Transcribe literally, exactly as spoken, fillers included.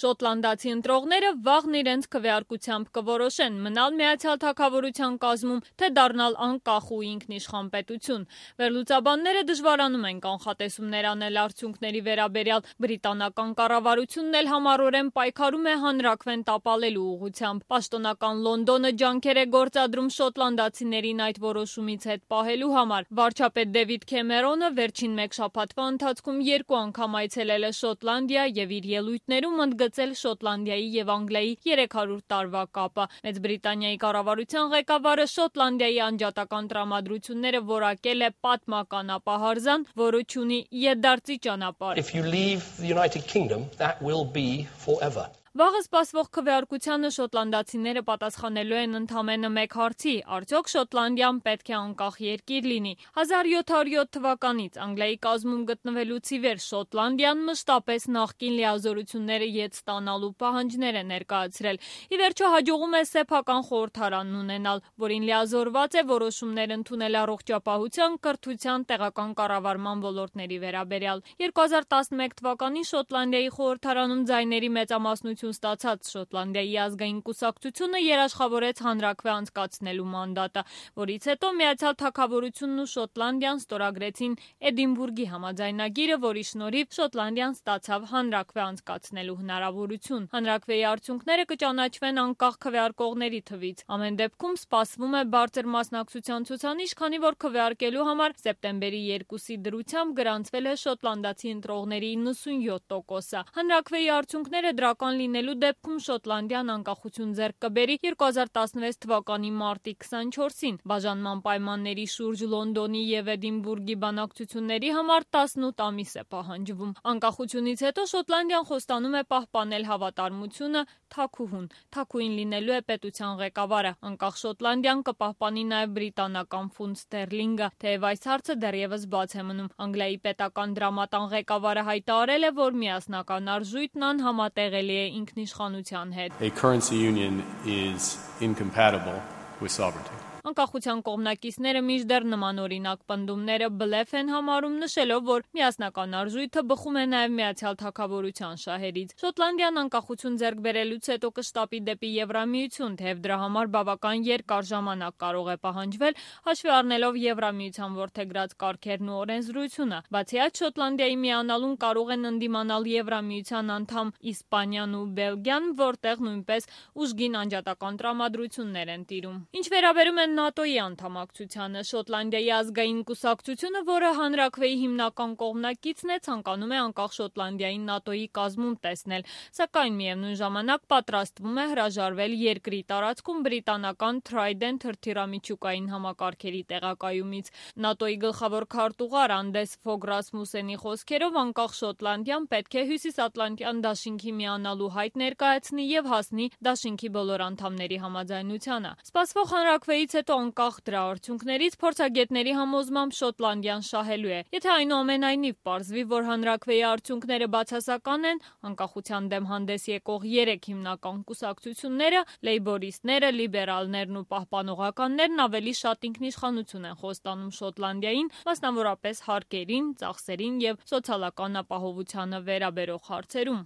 Շոտլանդացի ընտրողները վաղն իրենց քվեարկությամբ կորոշեն մնալ Միացյալ Թագավորության կազմում, թե դառնալ անկախ ու ինքնիշխան պետություն։ Վերլուծաբանները դժվարանում են կանխատեսումներ անել արդյունքների վերաբերյալ, բրիտանական կառավարությունն էլ համառորեն պայքարում է հանրաքվեն տապալելու ուղղությամբ։ Պաշտոնական Լոնդոնը ջանքեր է գործադրում շոտլանդացիներին այդ որոշումից հետ պահելու համար։ Վարչապետ Դեվիդ Քեմերոնը վերջին մեկ շաբաթվա ընթացքում երկու անգամ այցելել է Շոտլանդիա եւ իր ելույթներում ընդգծել Շոտլանդիայի եւ Անգլիայի երեք հարյուր տարվա կապը։ Մեծ Բրիտանիայի կառավարության ղեկավարը Շոտլանդիայի անջատական տրամադրությունները որակել է պատմական ապահարզան, որը չունի ետդարձի ճանապարհ։ If you leave the United Kingdom, that will be forever. Վաղը սպասվող քվեարկությանը շոտլանդացիները պատասխանելու են ընդամենը մեկ հարցի՝ արդյոք Շոտլանդիան պետք է անկախ երկիր լինի։ հազար յոթ հարյուր յոթ թվականից Անգլիայի կազմում գտնվելուց ի վեր Շոտլանդիան մշտապես նախկին լիազորությունները ետ ստանալու պահանջներ է ներկայացրել։ Ի վերջո հաջողում է սեփական խորհրդարան ունենալ, որին լիազորված է որոշումներ ընդունել առողջապահության, կրթության, տեղական կառավարման ոլորտների վերաբերյալ։ երկու հազար տասնմեկ թվականին Շոտլանդիայի խորհրդարանում ձայների մեծամասնություն ստացած Շոտլանդիայի ազգային կուսակցությունը երաշխավորեց հանրաքվե անցկացնելու մանդատը, որից հետո Միացյալ Թագավորությունն ու Շոտլանդիան ստորագրեցին Էդինբուրգի համաձայնագիրը, որի շնորհիվ Շոտլանդիան ստացավ հանրաքվե անցկացնելու հնարավորություն։ Հանրաքվեի արդյունքները կճանաչվեն անկախ քվեարկողների թվից։ Ամեն դեպքում սպասվում է բարձր մասնակցության ցուցանիշ, քանի որ քվեարկելու համար սեպտեմբերի երկուսի դրությամբ գրանցվել է շոտլանդացի ընտրողների իննսունյոթ տոկոսը։ Հանրաքվեի արդյունքները դրական լինելու դեպքում Շոտլանդիան անկախություն ձեռք կբերի երկու հազար տասնվեց թվականի մարտի քսանչորսին։ Բաժանման պայմանների շուրջ Լոնդոնի եւ Էդինբուրգի բանակցությունների համար տասնութ ամիս է պահանջվում։ Անկախությունից հետո Շոտլանդիան խոստանում է պահպանել հավատարմությունը թագուհուն։ Թագուհին լինելու է պետության ղեկավարը։ Անկախ Շոտլանդիան կպահպանի նաեւ բրիտանական ֆունտ ստերլինգը, թեև այս հարցը դեռևս բաց է մնում։ Անգլիայի պետական դրամատան ղեկավարը հայտարարել է, որ միասնական արժույթն անհամատեղելի է ինքնիշխանության հետ։ A currency union is incompatible with sovereignty. Անկախության կողմնակիցները մինչդեռ նմանօրինակ պնդումները բլեֆ են համարում, նշելով, որ միասնական արժույթը բխում է նաև Միացյալ Թագավորության շահերից։ Շոտլանդիան անկախություն ձեռք բերելուց հետո կշտապի դեպի Եվրամիություն, թեև դրա համար բավական երկար ժամանակ կարող է պահանջվել, հաշվի առնելով Եվրամիության որդեգրած կարգերն ու օրենսդրությունը։ Բացի այդ, Շոտլանդիայի միանալուն կարող են ընդդիմանալ Եվրամիության անդամ Իսպանիան ու Բելգիան, որտեղ նույնպես ուժգին անջատական տրամադրություններ են տիրում։ Ինչ վերաբերում է ՆԱՏՕ-ի անդամակցությանը, Շոտլանդիայի ազգային կուսակցությունը, որը հանրաքվեի հիմնական կողմնակիցն է, ցանկանում է անկախ Շոտլանդիային ՆԱՏՕ-ի կազմում տեսնել, սակայն միևնույն ժամանակ պատրաստվում է հրաժարվել երկրի տարածքում բրիտանական Trident հրթիռամիջուկային համակարգերի տեղակայումից։ ՆԱՏՕ-ի գլխավոր քարտուղար Անդես Ֆոգ Ռասմուսենի խոսքերով, անկախ Շոտլանդիան պետք է Հյուսիսատլանտյան դաշինքի միանալու հայտ ներկայացնի եւ հասնի դաշինքի բոլոր անդամների համաձայնությանը։ Սպասվող հանրաքվեից հետո անկախ դրա արդյունքներից փորձագետների համոզմամբ Շոտլանդիան շահելու է։ Եթե այնուամենայնիվ պարզվի, որ հանրաքվեի արդյունքները բացասական են, անկախության դեմ հանդես եկող երեք հիմնական կուսակցությունները՝ լեյբորիստները, լիբերալներն ու պահպանողականներն ավելի շատ ինքնիշխանություն են խոստանում Շոտլանդիային, մասնավորապես հարկերին, ծախսերին եւ սոցիալական ապահովությանը վերաբերող հարցերում։